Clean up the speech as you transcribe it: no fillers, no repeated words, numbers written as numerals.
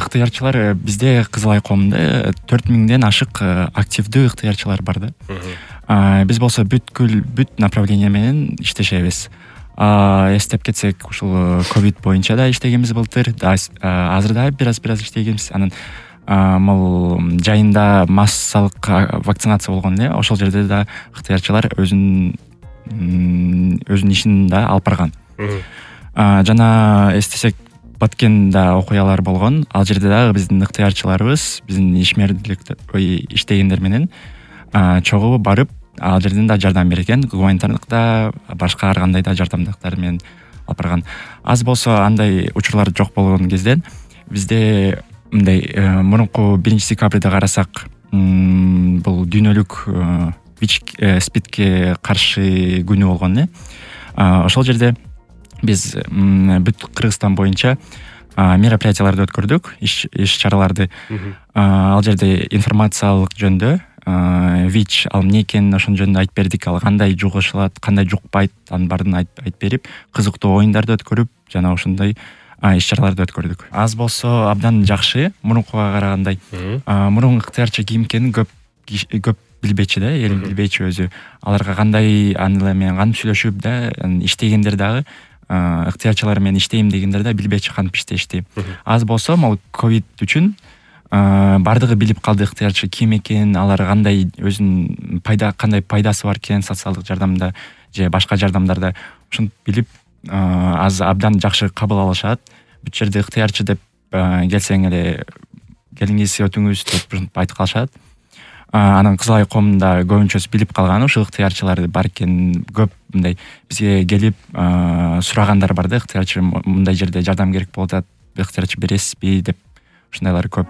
ыктыярчылар бизде Кызыл Ай коомунда 4000ден ашык активдүү ыктыярчылар бар да. Биз болсо бүт направление менен иштешебиз. Эстеп кетсек, ушул ковид боюнча да иштегенбиз былтыр, азыр да бир аз иштегенбиз. Анан могул жайында массалык вакцинация болгон эле, ошол жерде да ыктыярчылар өзүнүн ишин да алып барган. Жана эстесек, Баткенде окуялар болгон. Ал жерде дагы биздин ыктыярчыларыбыз биздин иштегендер менен чогуу барып, ал жерден да жардам берген, гуманитардык да, башка ар кандай да жардамдыктар менен алып барган. Аз болсо андай учурлар жок болгон кезде бизде мындай мурунку 1-декабрда карасак, бул дүйнөлүк СПИДке каршы күнү болгон эле. Ошол жерде биз бүт Кыргызстан боюнча мероприятияларды өткөрдүк, иш чараларды. Ал жерде информациялык жөндө ВИЧ ал эмне экенин ошон жөнүндө айтып бердик. Ал кандай жугушулат, кандай жукпайт, анын баарын айтып берип, кызыктуу оюндарды өткөрүп, жана ошондой иш чараларды өткөрдүк. Аз болсо абдан жакшы, мурункуга карагандай. Мурун ыктыярчы ким экенин көп билбечү да, эл билбечү өзү. Аларга кандай анылар менен кантип сүйлөшүп да, иштегендер дагы ыктыярчылар менен иштейм дегендер да билбечү кантип иштешти. Аз болсо могу ковид үчүн бардыгы билип калды ыктыярчы ким экенин, алар кандай өзүнүн кандай пайдасы бар экен социалдык жардамда же башка жардамдарда, ошентип билип аз абдан жакшы кабыл алышат. Бүт жерде ыктыярчы деп келсең эле келиңиз, өтүңүз деп айтып калышат. Анан Кызыл Ай коомунда көбүнчөсү билип калган ушул ыктыярчылар бар экенин, көп мындай бизге келип сурагандар бар да, ыктыярчы мындай жерде жардам керек болуп атат, ыктыярчы бересизби деп, ушундайлар көп.